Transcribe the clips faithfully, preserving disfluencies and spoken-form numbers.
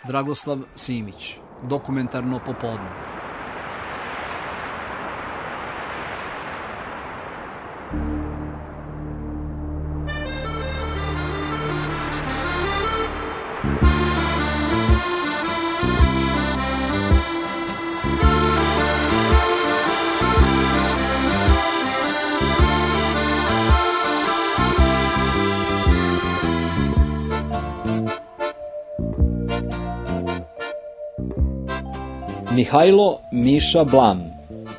Dragoslav Simić, Dokumentarno popodne. Mihajlo Miša Blam,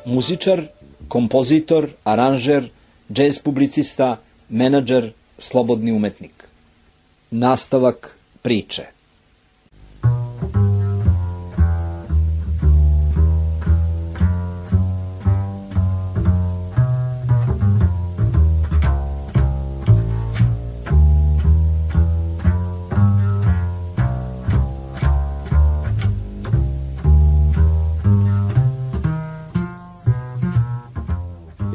muzičar, kompozitor, aranžer, džez publicista, menadžer, slobodni umetnik. Nastavak priče.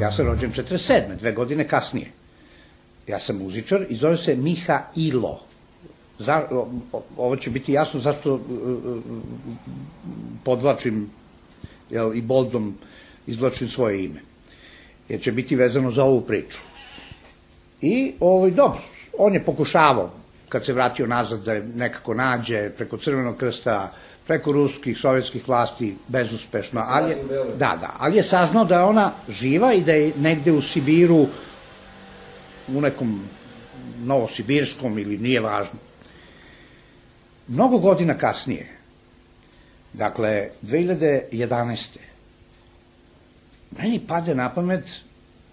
Ja sam rođen četrdeset sedme, dve godine kasnije. Ja sam muzičar i zove se Mihailo. Za, ovo će biti jasno zašto podvlačim jel, i boldom izvlačim svoje ime. Jer će biti vezano za ovu priču. I ovaj, dobro, on je pokušavao, kad se vratio nazad, da je nekako nađe preko Crvenog krsta, preko ruskih, sovjetskih vlasti, bezuspešno, ali je, da, da, ali je saznao da je ona živa i da je negde u Sibiru, u nekom novosibirskom ili nije važno. Mnogo godina kasnije, dakle, dve hiljade jedanaeste. meni pade na pamet,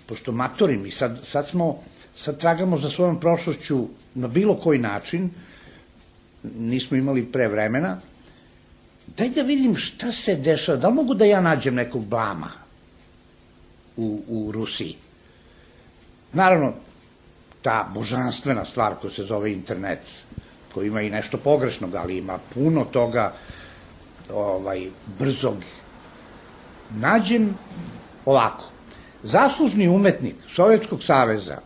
pošto matorim i sad, sad smo, sad tragamo za svojom prošlošću na bilo koji način, nismo imali pre vremena, daj da vidim šta se dešava, da li mogu da ja nađem nekog Blama u, u Rusiji. Naravno, ta božanstvena stvar koja se zove internet, koja ima i nešto pogrešnog, ali ima puno toga ovaj, brzog. Nađem ovako, zaslužni umetnik Sovjetskog saveza,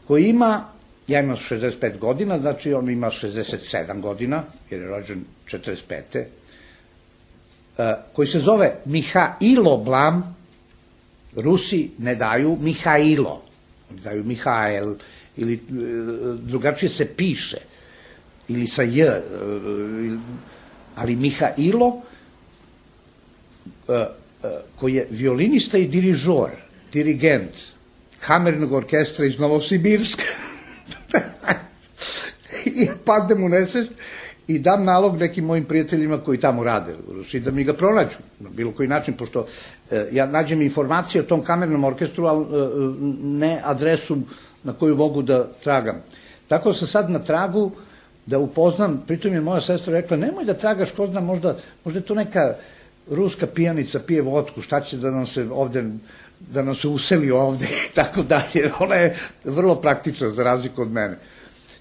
koji ima, ja imam šezdeset pet godina, znači on ima šezdeset sedam godina, jer je rođen četrdeset pete koji se zove Mihailo Blam, Rusi ne daju Mihailo, oni daju Mihael, ili drugačije se piše, ili sa J, ali Mihailo, koji je violinista i dirižor, dirigent kamernog orkestra iz Novosibirska. I padem u nesvest i dam nalog nekim mojim prijateljima koji tamo rade u Rusiji da mi ga pronađu na bilo koji način, pošto ja nađem informacije o tom kamernom orkestru, ali ne adresu na koju mogu da tragam. Tako sam sad na tragu da upoznam, pritom je moja sestra rekla, nemoj da tragaš, ko zna, možda, možda je to neka ruska pijanica, pije vodku, šta će da nam se ovde, da nam se useli ovde i tako dalje. Ona je vrlo praktična za razliku od mene.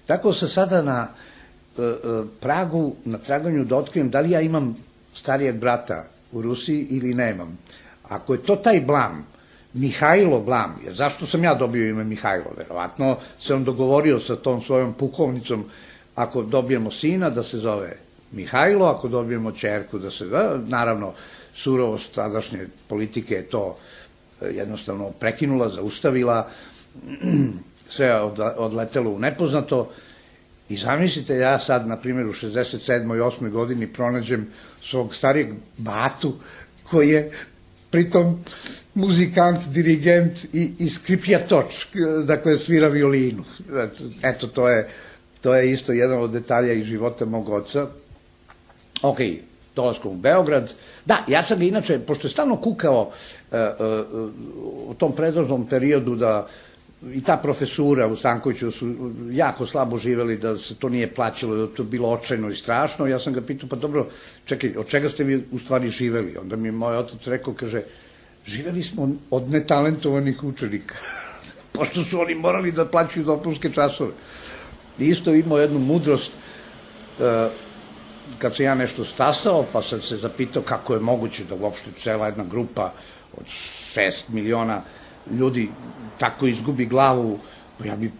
Tako sam sada na pragu, na traganju da otkrijem da li ja imam starijeg brata u Rusiji ili nemam. Ako je to taj Blam, Mihailo Blam, jer zašto sam ja dobio ime Mihailo? Verovatno se on dogovorio sa tom svojom pukovnicom, ako dobijemo sina da se zove Mihailo, ako dobijemo ćerku da se, naravno, surovost tadašnje politike je to jednostavno prekinula, zaustavila, sve je odletelo u nepoznato. I zamislite, ja sad, na primjer, u šezdeset sedmoj i osmoj godini pronađem svog starijeg batu, koji je pritom muzikant, dirigent i, i skripjatoč, dakle svira violinu. Eto, to je, to je isto jedan od detalja iz života mog oca. Ok, dolaskom u Beograd. Da, ja sam ga inače, pošto je stalno kukao uh, uh, u tom predložnom periodu da i ta profesura u Stankoviću su jako slabo živeli, da se to nije plaćalo, da to bilo očajno i strašno. Ja sam ga pitao, pa dobro, čekaj, od čega ste vi u stvari živeli? Onda mi je moj otac rekao, kaže, živeli smo od netalentovanih učenika, pošto su oni morali da plaćaju dopunske časove. I isto imao jednu mudrost, kad sam ja nešto stasao, pa sam se zapitao kako je moguće da uopšte cela jedna grupa od šest miliona ljudi tako izgubi glavu, ja bi...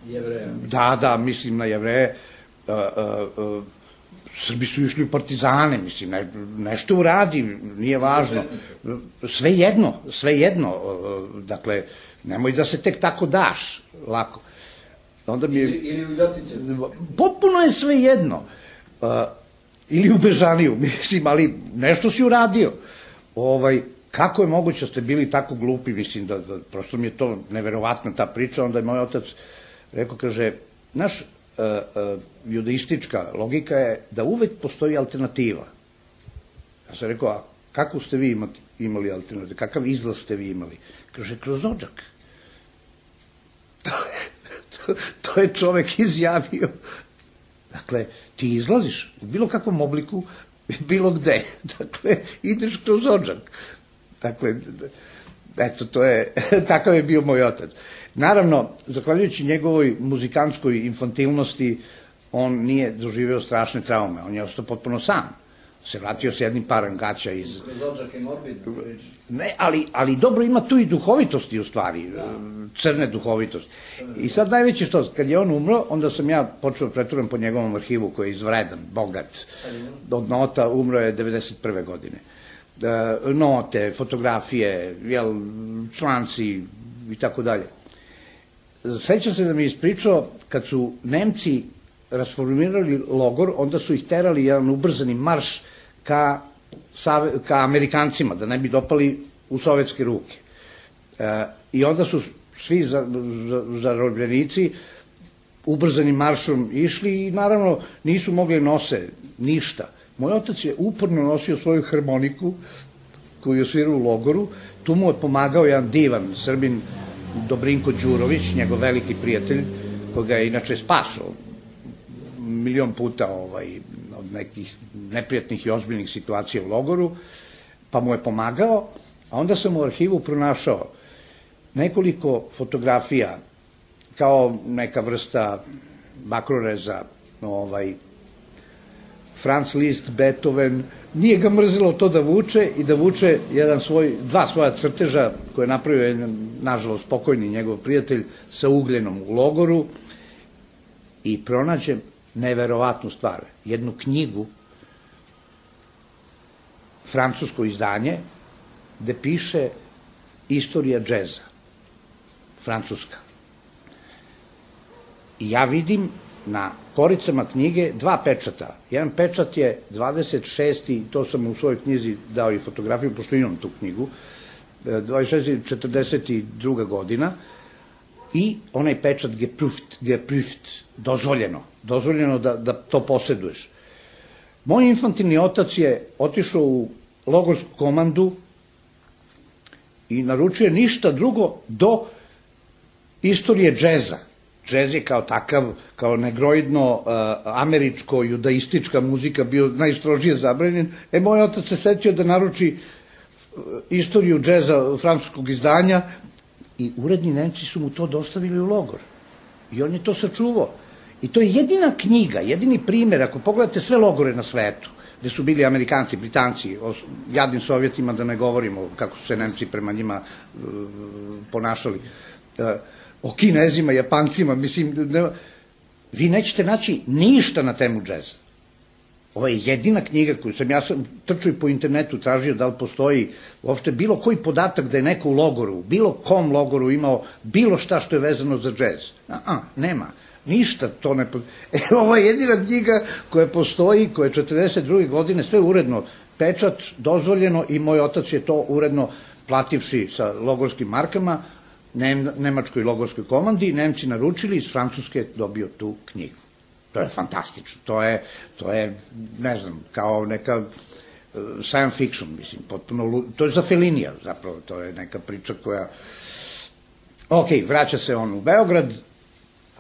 Jevreja. Da, da, mislim na Jevreje. Srbi su išli u partizane, mislim, ne, nešto uradi, nije važno. Sve jedno, sve jedno, dakle, nemoj da se tek tako daš, lako. Onda mi je, ili, ili u Ljotićevcu. Potpuno je sve jedno. Uh, ili u Bežaniju, mislim, ali nešto si uradio. Ovaj, kako je moguće da ste bili tako glupi, mislim, da, da prosto mi je to neverovatna ta priča, onda je moj otac rekao, kaže, naš uh, uh, judaistička logika je da uvek postoji alternativa. Ja sam rekao, a kako ste vi imati, imali alternativu, kakav izlaz ste vi imali? Kaže, kroz odžak. To je, to, to je čovek izjavio. Dakle, ti izlaziš u bilo kakvom obliku, bilo gde. Dakle, ideš kroz odžak. Dakle, eto, to je, takav je bio moj otac. Naravno, zahvaljujući njegovoj muzikantskoj infantilnosti, on nije doživeo strašne traume, on je ostao potpuno sam. Se vratio s jednim parom gaća iz... Kroz odžak je morbidno priča. Ne, ali, ali dobro ima tu i duhovitosti u stvari, crne duhovitosti. I sad najveće što, kad je on umro, onda sam ja počeo preturam po njegovom arhivu koji je izvredan, bogat. Od nota umro je devedeset prve godine. E, note, fotografije, jel, članci i tako dalje. Sećam se da mi je ispričao, kad su Nemci rasformirali logor, onda su ih terali jedan ubrzani marš ka, ka Amerikancima, da ne bi dopali u sovjetske ruke. E, I onda su svi zarobljenici ubrzanim maršom išli i naravno nisu mogli nose ništa. Moj otac je uporno nosio svoju harmoniku koju je svirao u logoru, tu mu je pomagao jedan divan Srbin Dobrinko Đurović, njegov veliki prijatelj, koga je inače spasao milion puta ovaj, od nekih neprijatnih i ozbiljnih situacija u logoru, pa mu je pomagao, a onda sam u arhivu pronašao nekoliko fotografija kao neka vrsta bakroreza, ovaj, Franz Liszt, Beethoven, nije ga mrzilo to da vuče i da vuče jedan svoj, dva svoja crteža koje je napravio jedan, nažalost, pokojni njegov prijatelj sa ugljenom u logoru i pronađem neverovatnu stvar, jednu knjigu, francusko izdanje, gde piše istorija džeza, francuska. I ja vidim na koricama knjige dva pečata. Jedan pečat je dvadeset šesti, to sam u svojoj knjizi dao i fotografiju, pošto imam tu knjigu, dvadeset šesti četrdeset druga godina, i onaj pečat geprüft, geprüft, dozvoljeno, dozvoljeno da, da to posjeduješ. Moj infantilni otac je otišao u logorsku komandu i naručio ništa drugo do istorije džeza. Džez je kao takav, kao negroidno uh, američko, judaistička muzika bio najstrožije zabranjen. E, moj otac se setio da naruči istoriju džeza francuskog izdanja i uredni Nemci su mu to dostavili u logor. I on je to sačuvao. I to je jedina knjiga, jedini primjer, ako pogledate sve logore na svetu, gde su bili Amerikanci, Britanci, o jadnim Sovjetima, da ne govorimo kako su se Nemci prema njima uh, ponašali, uh, o Kinezima, Japancima, mislim, ne, vi nećete naći ništa na temu džeza. Ovo je jedina knjiga koju sam, ja sam trčao i po internetu, tražio da li postoji uopšte bilo koji podatak da je neko u logoru, bilo kom logoru imao bilo šta što je vezano za džez. A, a, nema. Ništa to ne... E, ovo je jedina knjiga koja postoji, koja je četrdeset druge godine, sve uredno, pečat, dozvoljeno i moj otac je to uredno plativši sa logorskim markama, nemačkoj logorskoj komandi, Nemci naručili, iz Francuske dobio tu knjigu. To je fantastično, to je, to je, ne znam, kao neka uh, science fiction, mislim, potpuno, to je za Fellinija, zapravo, to je neka priča koja... Ok, vraća se on u Beograd.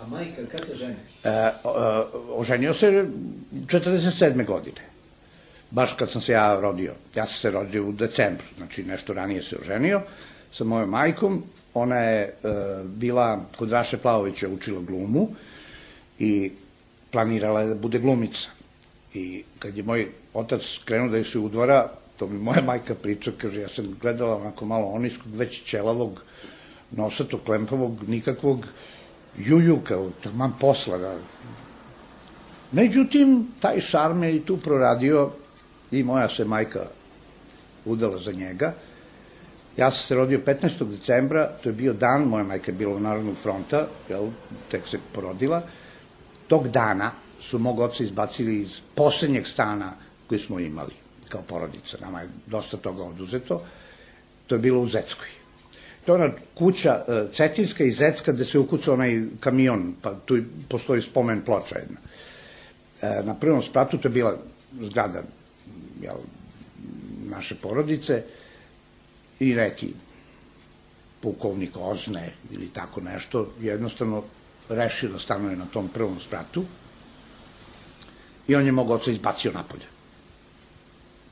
A majka, kad se ženiš? Uh, uh, oženio se četrdeset sedme godine, baš kad sam se ja rodio. Ja sam se rodio u decembru, znači nešto ranije se oženio sa mojom majkom. Ona je uh, bila kod Raše Plavovića, učila glumu i planirala je da bude glumica. I kad je moj otac krenuo da je se udvara, to mi moja majka priča, kaže, ja sam gledala onako malo oniskog, već ćelavog, nosatog, klempavog, nikakvog juju, kao taman posla. Da. Međutim, taj šarm je i tu proradio i moja se majka udala za njega. Ja sam se rodio petnaestog decembra, to je bio dan, moja majka je bila u Narodnog fronta, jel, tek se porodila. Tog dana su mog oca izbacili iz poslednjeg stana koji smo imali kao porodica. Nama je dosta toga oduzeto. To je bilo u Zeckoj. To je ona kuća Cetinska i Zecka gde se ukucao onaj kamion, pa tu postoji spomen ploča jedna. Na prvom spratu to je bila zgrada naše porodice i neki pukovnik Ozne ili tako nešto, jednostavno rešio da stanuje na tom prvom spratu i on je mog oca izbacio napolje.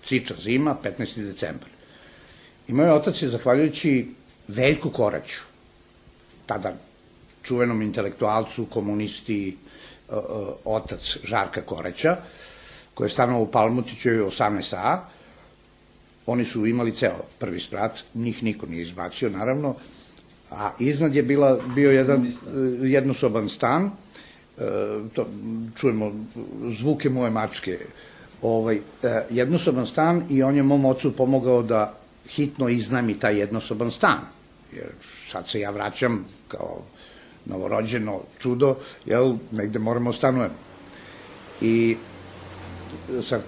Ciča zima, petnaesti decembar. I moj otac je, zahvaljujući Veljku Koraću, tada čuvenom intelektualcu, komunisti, otac Žarka Koraća, koji je stanovao u Palmutićevoj osamnaest A, oni su imali ceo prvi sprat, njih niko nije izbacio, naravno, a iznad je bio jedan jednosoban stan, čujemo zvuke moje mačke, jednosoban stan i on je mom ocu pomogao da hitno iznajmi taj jednosoban stan, jer sad se ja vraćam kao novorođeno čudo, jel, negde moramo stanujemo. I sa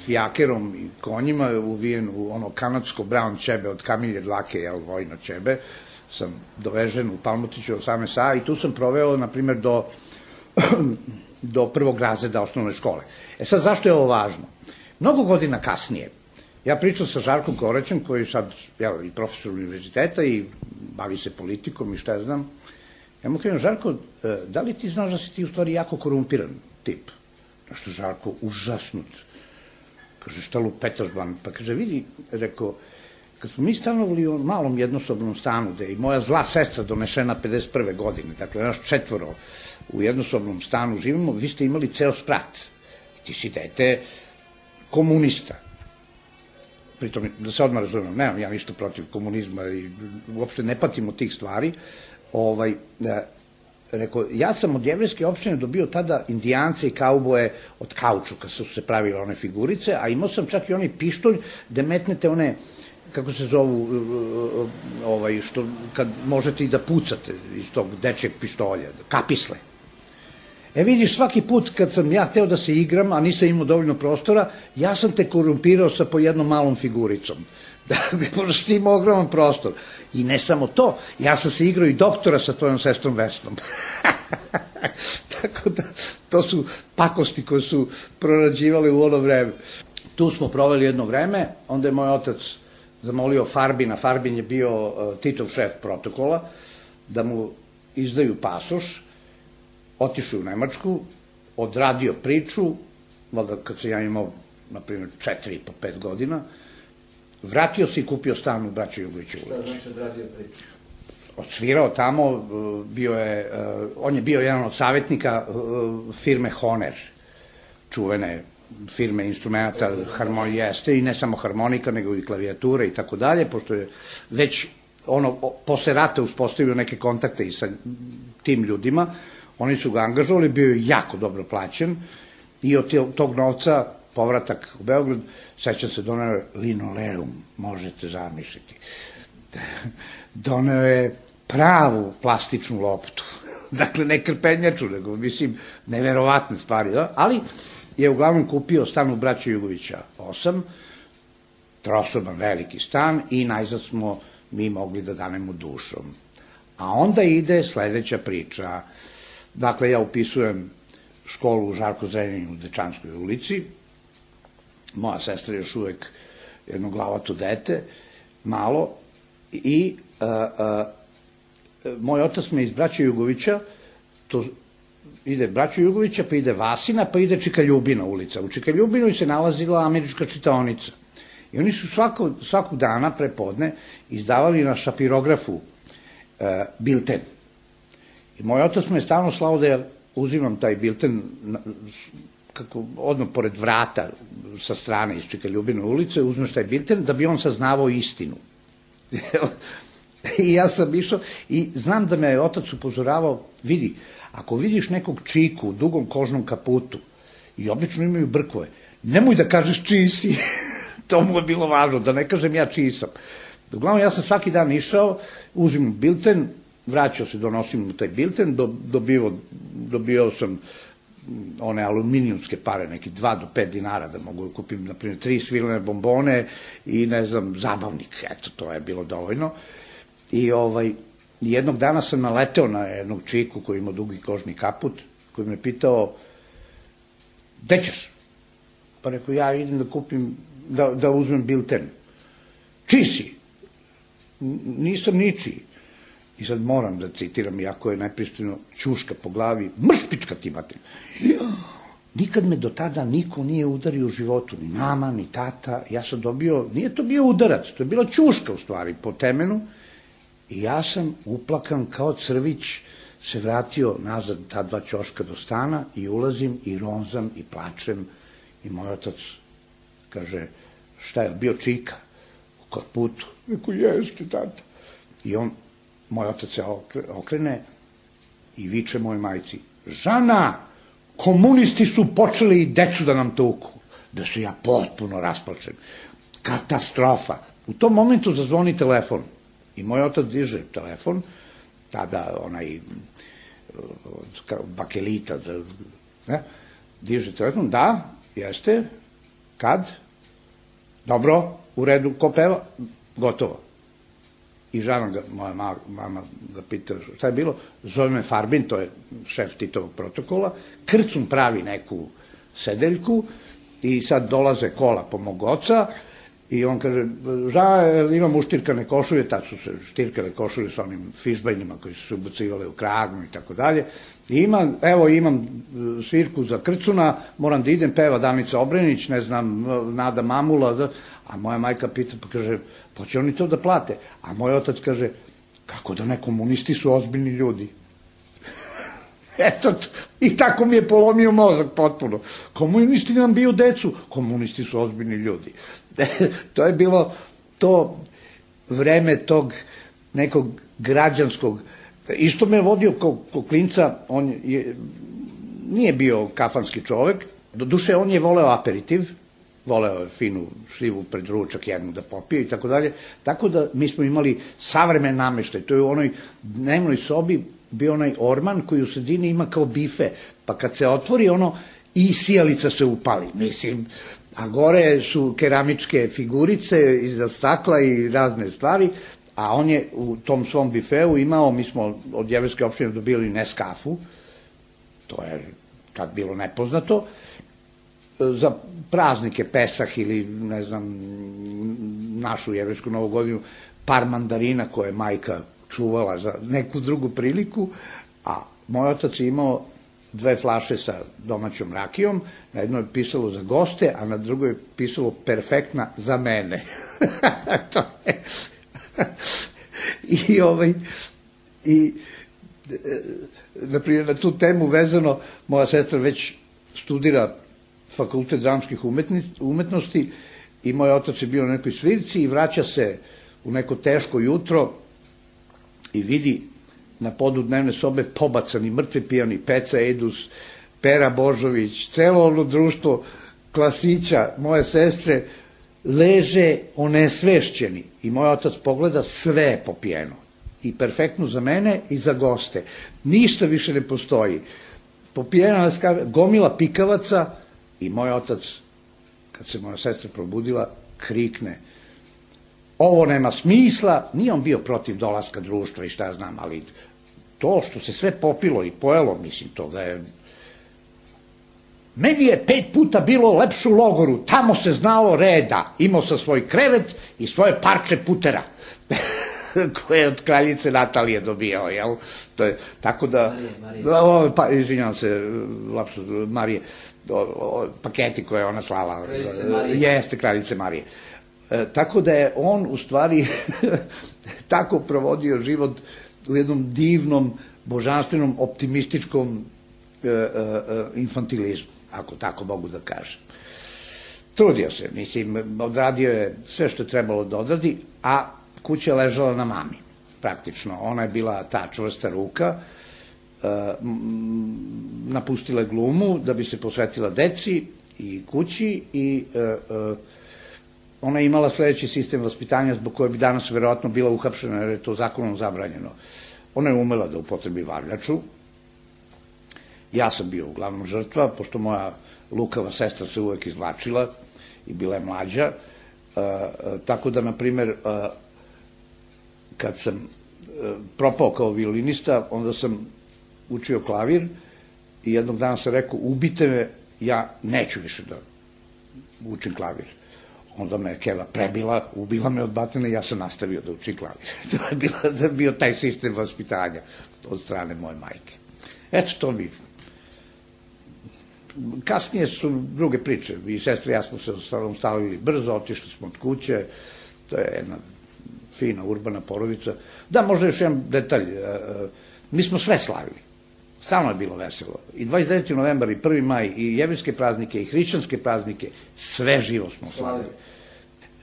fijakerom i konjima uvijen u ono kanadsko brown ćebe od kamilje dlake, jel, vojno ćebe, sam dovežen u Palmutiću osamnaest A i tu sam proveo, na primjer, do, do prvog razreda osnovne škole. E sad, zašto je ovo važno? Mnogo godina kasnije, ja pričam sa Žarkom Koraćem, koji je sad, jel, i profesor univerziteta i bavi se politikom i šta ja znam. Ja mu kažem, Žarko, da li ti znaš da si ti u stvari jako korumpiran tip? Što Žarko užasnut. Kaže, šta lupetaš ban? Pa kaže, vidi, rekao, kad smo mi stanovali u malom jednosobnom stanu, gde je i moja zla sestra donešena pedeset prve godine, dakle, naš četvoro u jednosobnom stanu živimo, vi ste imali ceo sprat. Ti si dete komunista. Pritom, da se odmah razumem, nemam ja ništa protiv komunizma i uopšte ne patimo tih stvari. Ovaj, rekao, ja sam od jevrejske opštine dobio tada indijance i kauboje od kaučuka, su se pravile one figurice, a imao sam čak i onaj pištolj gde metnete one, kako se zovu, ovaj, što, kad možete i da pucate iz tog dečjeg pištolja, kapisle. E vidiš, svaki put kad sam ja hteo da se igram, a nisam imao dovoljno prostora, ja sam te korumpirao sa po jednom malom figuricom. Pošto ti imao ogroman prostor. I ne samo to, ja sam se igrao i doktora sa tvojom sestrom Vesnom. Tako da, to su pakosti koje su prorađivali u ono vreme. Tu smo proveli jedno vreme, onda je moj otac zamolio Farbina, Farbin je bio Titov šef protokola, da mu izdaju pasoš, otišao u Nemačku, odradio priču, valjda kad sam ja imao, na primjer, četiri po pet godina, vratio se i kupio stan u Braćo Jugoviću ulici. Šta znači odradio priču? Odsvirao tamo, bio je, on je bio jedan od savjetnika firme Honer, čuvene firme instrumenta, harmonija jeste, i ne samo harmonika, nego i klavijature i tako dalje, pošto je već ono, posle rata uspostavio neke kontakte i sa tim ljudima, oni su ga angažovali, bio je jako dobro plaćen i od tog novca povratak u Beograd, sećam se, doneo je linoleum, možete zamisliti. Doneo je pravu plastičnu loptu. Dakle, ne krpenjaču, nego, mislim, neverovatne stvari, da? Ali je uglavnom kupio stan u Braćo Jugovića osam, trosoban veliki stan i najzad smo mi mogli da danemo dušom. A onda ide sledeća priča. Dakle, ja upisujem školu u Žarko Zrenjaninu u Dečanskoj ulici, moja sestra je još uvek jedno glavato dete, malo, i moj otac me iz Braća Jugovića, to ide Braća Jugovića, pa ide Vasina, pa ide Čikaljubina ulica. U Čikaljubinoj se nalazila američka čitaonica. I oni su svakog dana prepodne izdavali na šapirografu bilten. I moj otac me je stalno slao da ja uzimam taj bilten kako odmah pored vrata sa strane iz Čikaljubine ulice, uzmeš taj bilten da bi on saznavao istinu. I ja sam išao i znam da me je otac upozoravao, vidi, ako vidiš nekog čiku u dugom kožnom kaputu i obično imaju brkove, nemoj da kažeš čiji si. To mu je bilo važno, da ne kažem ja čiji sam. Uglavnom, ja sam svaki dan išao, uzim bilten, vraćao se, donosim mu taj bilten, dobio, dobio sam one aluminijumske pare, neki dva do pet dinara, da mogu da kupim, na primjer, tri svilene bombone i, ne znam, zabavnik. Eto, to je bilo dovoljno. I ovaj, jednog dana sam naleteo na jednog čiku koji ima dugi kožni kaput, koji me pitao, gde ćeš? Pa rekao, ja idem da kupim, da, da uzmem bilten. Čiji si? Nisam ničiji. I sad moram da citiram, iako je najpristojno, ćuška po glavi, mrš pička ti mater. Nikad me do tada niko nije udario u životu, ni mama, ni tata. Ja sam dobio, nije to bio udarac, to je bila ćuška u stvari, po temenu. I ja sam uplakan kao crvić, se vratio nazad ta dva ćoška do stana i ulazim i ronzam i plačem. I moj otac kaže, šta je, bio čika u kaputu? Rekao, jeste, tata. I on, moj otac se okrene i viče mojoj majci, Žana, komunisti su počeli i decu da nam tuku. Da se ja potpuno rasplačem. Katastrofa. U tom momentu zazvoni telefon. I moj otac diže telefon, tada onaj bakelita, ne, diže telefon, da, jeste, kad, dobro, u redu, ko peva, gotovo. I Žana, ga, moja mama ga pita, šta je bilo, zove me Farbin, to je šef Titovog protokola, Krcun pravi neku sedeljku i sad dolaze kola po mog oca i on kaže, Žana, imam uštirkane košulje, tad su se štirkale košulje sa onim fišbajnima koji su se ubacivale u kragnu i tako dalje. I ima, evo imam svirku za Krcuna, moram da idem, peva Danica Obrenić, ne znam, Nada Mamula, a moja majka pita, pa kaže, pa će oni to da plate? A moj otac kaže, kako da ne, komunisti su ozbiljni ljudi. Eto, i tako mi je polomio mozak potpuno. Komunisti nam biju decu, komunisti su ozbiljni ljudi. To je bilo to vreme tog nekog građanskog, isto me je vodio kao klinca, on je, nije bio kafanski čovek, do duše on je voleo aperitiv, voleo je finu šljivu pred ručak jednu da popije i tako dalje, tako da mi smo imali savremen nameštaj, to je u onoj dnevnoj sobi bio onaj orman koji u sredini ima kao bife, pa kad se otvori ono i sijalica se upali, mislim, a gore su keramičke figurice iza stakla i razne stvari, a on je u tom svom bifeu imao, mi smo od jevrejske opštine dobili Neskafu, to je tad bilo nepoznato, za praznike Pesah ili, ne znam, našu jevrejsku novu godinu, par mandarina koje je majka čuvala za neku drugu priliku, a moj otac je imao dve flaše sa domaćom rakijom, na jednoj je pisalo za goste, a na drugoj je pisalo perfektna za mene. To je... I ovaj, i, naprimjer, na tu temu vezano, moja sestra već studira Fakultet dramskih umetnosti i moj otac je bio na nekoj svirci i vraća se u neko teško jutro i vidi na podu dnevne sobe pobacani mrtvi pijani Peca Edus, Pera Božović, celo ono društvo klasića moje sestre leže onesvešćeni i moj otac pogleda, sve je popijeno i perfektno za mene i za goste, ništa više ne postoji, popijena gomila pikavaca. I moj otac, kad se moja sestra probudila, krikne, ovo nema smisla, nije on bio protiv dolaska društva i šta ja znam, ali to što se sve popilo i pojelo, mislim, toga je... Meni je pet puta bilo lepše u logoru, tamo se znalo reda, imao sam svoj krevet i svoje parče putera, koje je od kraljice Natalije dobio, jel? To je, tako da... Marije, Marije. Pa, izvinjam se, lapsus, Marije, paketi koje je ona slala. Kraljice Marije. Jeste, kraljice Marije. E, tako da je on u stvari tako provodio život u jednom divnom, božanstvenom, optimističkom e, e, infantilizmu, ako tako mogu da kažem. Trudio se, mislim, odradio je sve što je trebalo da odradi, a kuća je ležala na mami, praktično. Ona je bila ta čvrsta ruka napustila je glumu da bi se posvetila deci i kući i ona je imala sledeći sistem vaspitanja zbog koje bi danas verovatno bila uhapšena jer je to zakonom zabranjeno. Ona je umela da upotrebi varljaču. Ja sam bio uglavnom žrtva, pošto moja lukava sestra se uvek izvlačila i bila je mlađa. Tako da, na primer, kad sam propao kao violinista, onda sam učio klavir i jednog dana sam rekao, ubite me, ja neću više da učim klavir. Onda me je Keva prebila, ubila me od batine i ja sam nastavio da učim klavir. To je bilo, da je bio taj sistem vaspitanja od strane moje majke. Eto, to mi... Kasnije su druge priče. I sestra i ja smo se stavili brzo, otišli smo od kuće. To je jedna fina, urbana porodica. Da, možda još jedan detalj. Mi smo sve slavili. Stalno je bilo veselo. I dvadeset deveti novembar, i prvi maj, i jevrijske praznike, i hrišćanske praznike, sve živo smo slavili.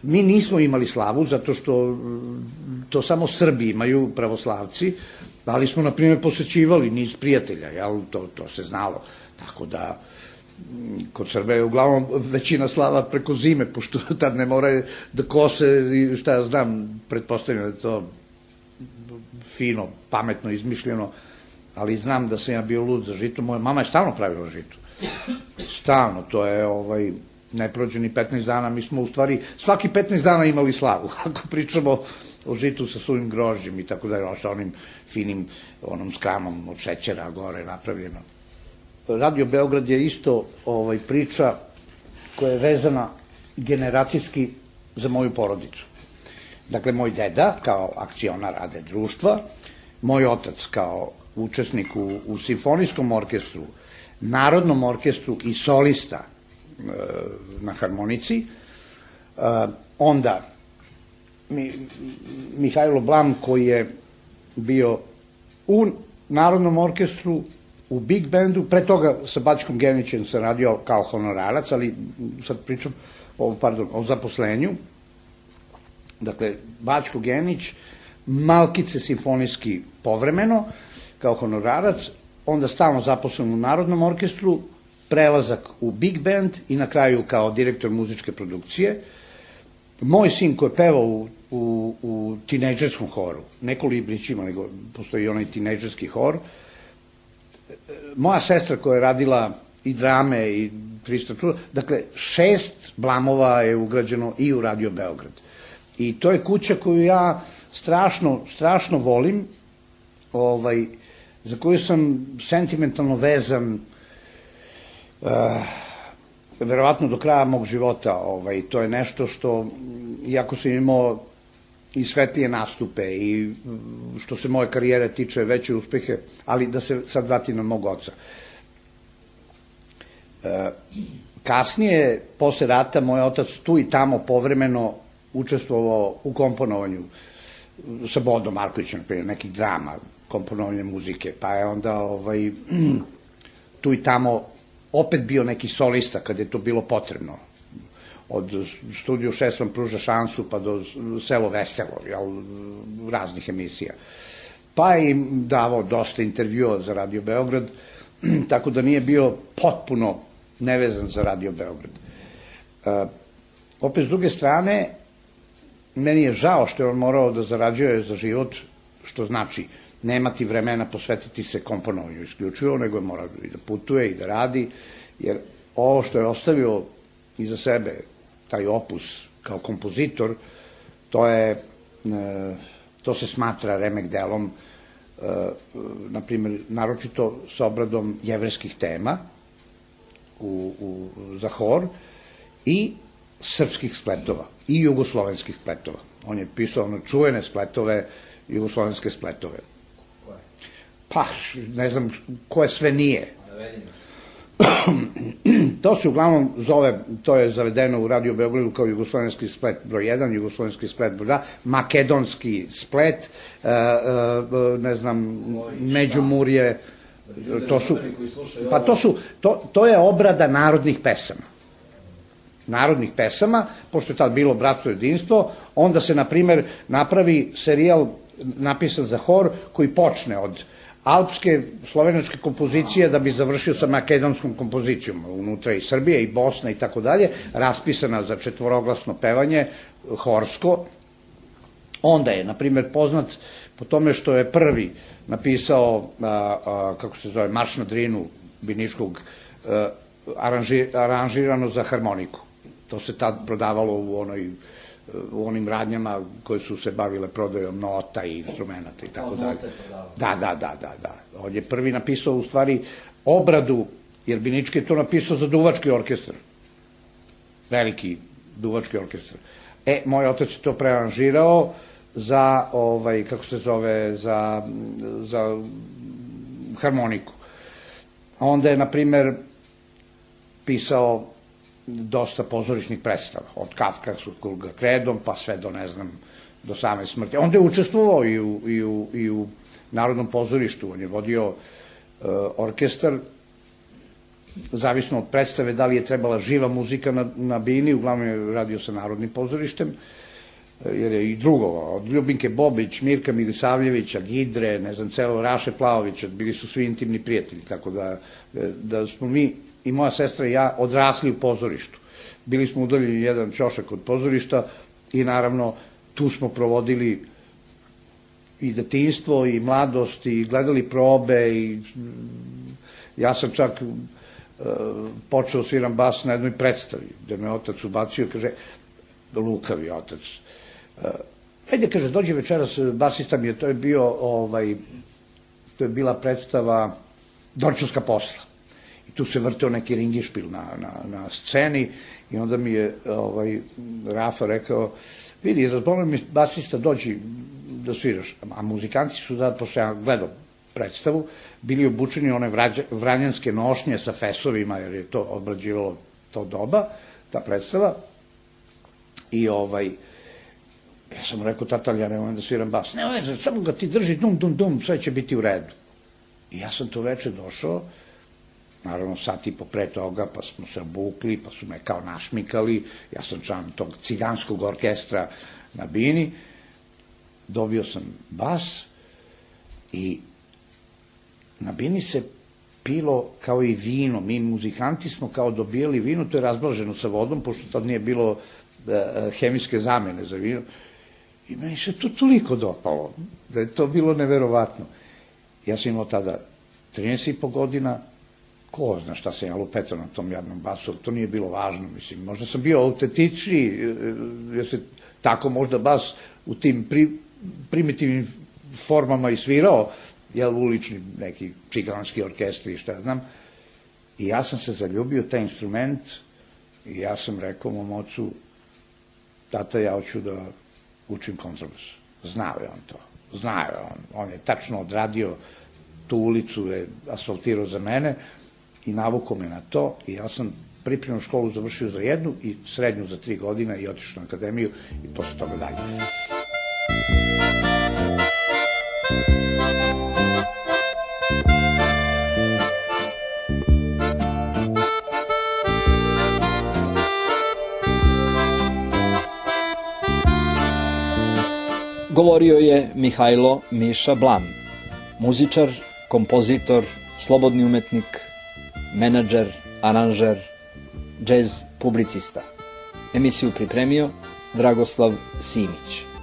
Mi nismo imali slavu, zato što to samo Srbi imaju, pravoslavci, ali smo, na primjer, posećivali niz prijatelja, jel, to, to se znalo. Tako da, kod Srbe je uglavnom većina slava preko zime, pošto tad ne moraju da kose i šta ja znam, pretpostavljam da je to fino, pametno, izmišljeno, ali znam da sam ja bio lud za žito. Moja mama je stalno pravila žito. Stalno, to je ovaj, ne prođe ni petnaest dana, mi smo u stvari svaki petnaest dana imali slavu, ako pričamo o žitu sa suvim grožđem i tako da je sa onim finim, onom skramom od šećera gore napravljeno. Radio Beograd je isto ovaj, priča koja je vezana generacijski za moju porodicu. Dakle, moj deda kao akcionar rade društva, moj otac kao učesnik u, u simfonijskom orkestru, narodnom orkestru i solista e, na harmonici, e, onda mi, Mihajlo Blam koji je bio u narodnom orkestru, u big bandu, pre toga sa Bačkom Genićem sam radio kao honorarac, ali sad pričam o, pardon, o zaposlenju. Dakle, Bačko Genić, Malkice simfonijski povremeno, kao honorarac, onda stalno zaposlen u Narodnom orkestru, prelazak u big band i na kraju kao direktor muzičke produkcije. Moj sin koji je pevao u, u, u tinejdžerskom horu, ne Kolibrić ima, nego postoji onaj tinejdžerski hor. Moja sestra koja je radila i drame i trista čuda, dakle, šest Blamova je ugrađeno i u Radio Beograd. I to je kuća koju ja strašno, strašno volim, ovaj, za koju sam sentimentalno vezan uh, verovatno do kraja mog života. Ovaj, to je nešto što, iako sam imao i svetlije nastupe i što se moje karijere tiče veće uspehe, ali da se sad vratim na mog oca. E, kasnije, posle rata, moj otac tu i tamo povremeno učestvovao u komponovanju sa Bodo Markovićem, nekih drama, komponovanje muzike, pa je onda ovaj, tu i tamo opet bio neki solista kad je to bilo potrebno. Od Studio šest vam pruža šansu pa do Selo veselo, jel, raznih emisija. Pa je im davao dosta intervjua za Radio Beograd, tako da nije bio potpuno nevezan za Radio Beograd. E, opet, s druge strane, meni je žao što je on morao da zarađuje za život, što znači nemati vremena posvetiti se komponovanju isključivo, nego je morao i da putuje i da radi, jer ovo što je ostavio iza sebe, taj opus kao kompozitor, to je, to se smatra remek delom, na primjer, naročito sa obradom jevrejskih tema u, u, za hor i srpskih spletova i jugoslovenskih spletova. On je pisao ono čuvene spletove, jugoslovenske spletove. Pa, ne znam koje sve nije. To se uglavnom zove, to je zavedeno u Radio Beogradu kao jugoslovenski splet broj jedan, jugoslovenski splet broj dva, makedonski splet, ne znam, Međumurje, to su, pa to su, to, to je obrada narodnih pesama. Narodnih pesama, pošto je tad bilo Bratstvo jedinstvo, onda se, na primer, napravi serijal napisan za hor koji počne od alpske, slovenačke kompozicije da bi završio sa makedonskom kompozicijom, unutra i Srbije i Bosna i tako dalje, raspisana za četvoroglasno pevanje, horsko. Onda je, na primjer, poznat po tome što je prvi napisao, a, a, kako se zove, Marš na Drinu Biniškog, a, aranži, aranžirano za harmoniku. To se tad prodavalo u onoj u onim radnjama koje su se bavile prodajom nota i instrumenta i tako dalje. Da, da, da, da, da. On je prvi napisao u stvari obradu, jer Binički je to napisao za duvački orkestar. Veliki duvački orkestar. E, moj otac je to prearanžirao za, ovaj, kako se zove, za, za harmoniku. Onda je, na primer, pisao dosta pozorišnih predstava, od Kafkavskog Kredom, pa sve do, ne znam, do same smrti. Onda je učestvovao i u, i u, i u Narodnom pozorištu, on je vodio uh, orkestar, zavisno od predstave, da li je trebala živa muzika na, na bini, uglavnom je radio sa Narodnim pozorištem, jer je i drugo, od Ljubinke Bobić, Mirka Milisavljevića, Gidre, ne znam, celo Raše Plavovića, bili su svi intimni prijatelji, tako da, da smo mi, i moja sestra i ja, odrasli u pozorištu. Bili smo udaljeni jedan ćošak od pozorišta i naravno tu smo provodili i detinjstvo i mladost i gledali probe i ja sam čak uh, počeo sviram bas na jednoj predstavi, gde me otac ubacio, kaže, lukavi otac. Uh, ajde, kaže, dođe večeras, basista mi je, to je bio, ovaj, to je bila predstava Dorčunska posla. I tu se vrteo neki ringišpil na, na, na sceni i onda mi je ovaj, Rafa rekao, vidi, razbolim mi basista, dođi da sviraš. A muzikanti su da, pošto ja gledao predstavu, bili obučeni one vranjanske nošnje sa fesovima, jer je to obrađivalo to doba, ta predstava. I ovaj, ja sam rekao, tata, ja ne volim da sviram bas. Ne, ne, samo ga ti drži, dum, dum, dum, sve će biti u redu. I ja sam to veče došao, naravno sat i po pre toga, pa smo se obukli, pa su me kao našmikali, ja sam član tog ciganskog orkestra na bini, dobio sam bas i na bini se pilo kao i vino, mi muzikanti smo kao dobijali vino, to je razblaženo sa vodom, pošto tad nije bilo uh, hemijske zamene za vino, i meni se to toliko dopalo, da je to bilo neverovatno. Ja sam imao tada trinaest i po godina, ko zna šta sam ja lupetao na tom jadnom basu, to nije bilo važno, mislim, možda sam bio autentičniji, jer se tako možda bas u tim pri, primitivnim formama i svirao, jel, ulični neki ciganski orkestri i šta znam, i ja sam se zaljubio taj instrument i ja sam rekao mom ocu, tata, ja hoću da učim kontrabas. Znao je on to, znao je on, on je tačno odradio tu ulicu, je asfaltirao za mene i navukao me na to i ja sam pripremnu školu završio za jednu i srednju za tri godina i otišao na akademiju i posle toga dalje. Govorio je Mihajlo Miša Blan, muzičar, kompozitor, slobodni umetnik, menadžer, aranžer, džez publicista. Emisiju pripremio Dragoslav Simić.